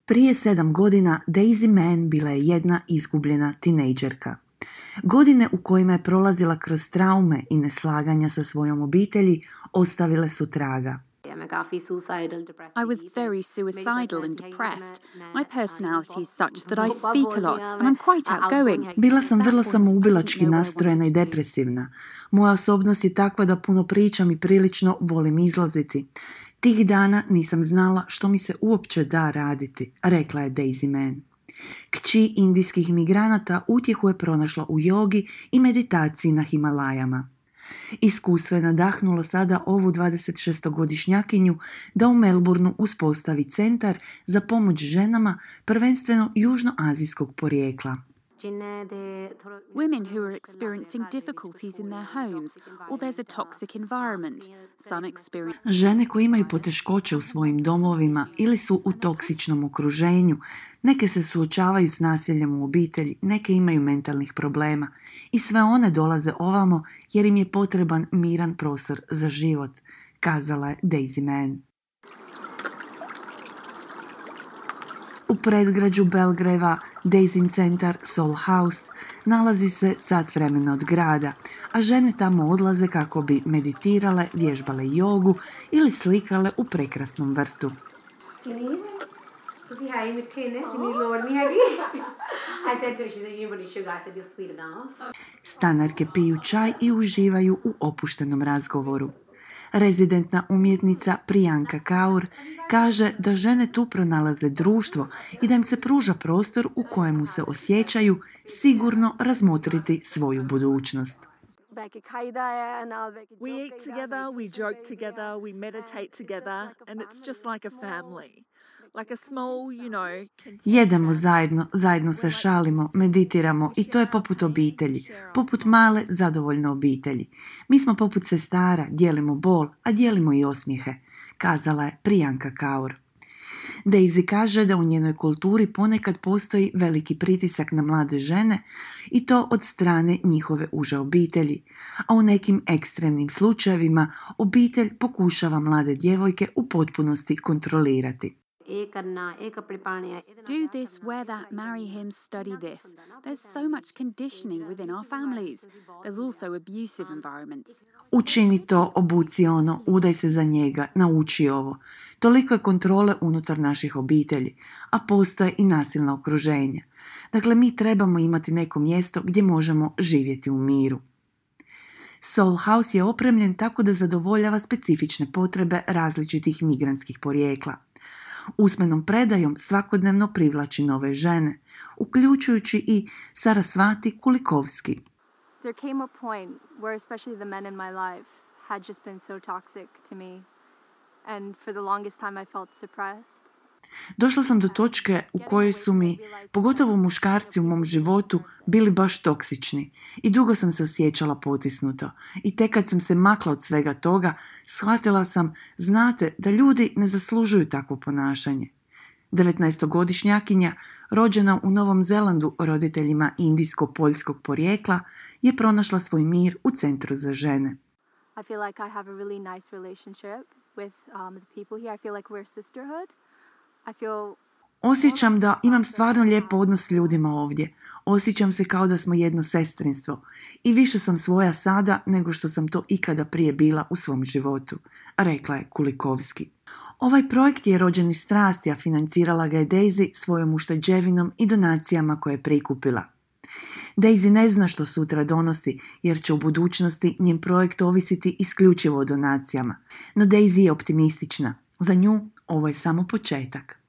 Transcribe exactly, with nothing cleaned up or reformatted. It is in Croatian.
Prije sedam godina Daisy Mann bila je jedna izgubljena tinejdžerka. Godine u kojima je prolazila kroz traume i neslaganja sa svojom obitelji ostavile su traga. I was very suicidal and depressed. My personality is such that I speak a lot and I'm quite outgoing. Bila sam vrlo samoubilački nastrojena i depresivna. Moja osobnost je takva da puno pričam i prilično volim izlaziti. Tih dana nisam znala što mi se uopće da raditi, rekla je Daisy Mann. Kći indijskih migranata utjehu je pronašla u jogi i meditaciji na Himalajama. Iskustvo je nadahnulo sada ovu dvadesetšestogodišnjakinju da u Melbourneu uspostavi centar za pomoć ženama, prvenstveno južnoazijskog porijekla. Women who are experiencing difficulties in their homes or there's a toxic environment. Some experience Žene koje imaju poteškoće u svojim domovima ili su u toksičnom okruženju, neke se suočavaju s nasiljem u obitelji, neke imaju mentalnih problema i sve one dolaze ovamo jer im je potreban miran prostor za život, kazala je Daisy Mann. U predgrađu Belgrava Daisin centar Soul House nalazi se sat vremena od grada, a žene tamo odlaze kako bi meditirale, vježbale jogu ili slikale u prekrasnom vrtu. Stanarke piju čaj i uživaju u opuštenom razgovoru. Rezidentna umjetnica Priyanka Kaur kaže da žene tu pronalaze društvo i da im se pruža prostor u kojemu se osjećaju sigurno razmotriti svoju budućnost. We eat together, we joke together, we meditate together, and it's just like a family. Like a small, you know, Jedemo zajedno, zajedno se šalimo, meditiramo i to je poput obitelji, poput male, zadovoljne obitelji. Mi smo poput sestara, dijelimo bol, a dijelimo i osmijehe, kazala je Priyanka Kaur. Daisy kaže da u njenoj kulturi ponekad postoji veliki pritisak na mlade žene i to od strane njihove uže obitelji, a u nekim ekstremnim slučajevima obitelj pokušava mlade djevojke u potpunosti kontrolirati. do this, wear that, marry him, study this. There's so much conditioning within our families. There's also abusive environments. Učini to, obuci ono, udaj se za njega, nauči ovo. Toliko je kontrole unutar naših obitelji, a postoje i nasilna okruženja. Dakle, mi trebamo imati neko mjesto gdje možemo živjeti u miru. Soul House je opremljen tako da zadovoljava specifične potrebe različitih migrantskih porijekla. Usmenom predajom svakodnevno privlači nove žene, uključujući i Sarasvati Kulikovski. There came a point where especially the men in my life had just been so toxic to me. And for the longest time I felt suppressed. Došla sam do točke u kojoj su mi, pogotovo muškarci u mom životu, bili baš toksični i dugo sam se osjećala potisnuto. I tek kad sam se makla od svega toga, shvatila sam, znate, da ljudi ne zaslužuju takvo ponašanje. devetnaestogodišnjakinja, rođena u Novom Zelandu roditeljima indijsko-poljskog porijekla, je pronašla svoj mir u centru za žene. I feel like I have a really nice relationship with um, the people here. I feel like we're a sisterhood. I feel Osjećam da imam stvarno lijep odnos s ljudima ovdje. Osjećam se kao da smo jedno sestrinstvo. I više sam svoja sada nego što sam to ikada prije bila u svom životu, rekla je Kulikovski. Ovaj projekt je rođen iz strasti, a financirala ga je Daisy svojom ušteđevinom i donacijama koje je prikupila. Daisy ne zna što sutra donosi, jer će u budućnosti njen projekt ovisiti isključivo o donacijama. No Daisy je optimistična. Za nju ovo je samo početak.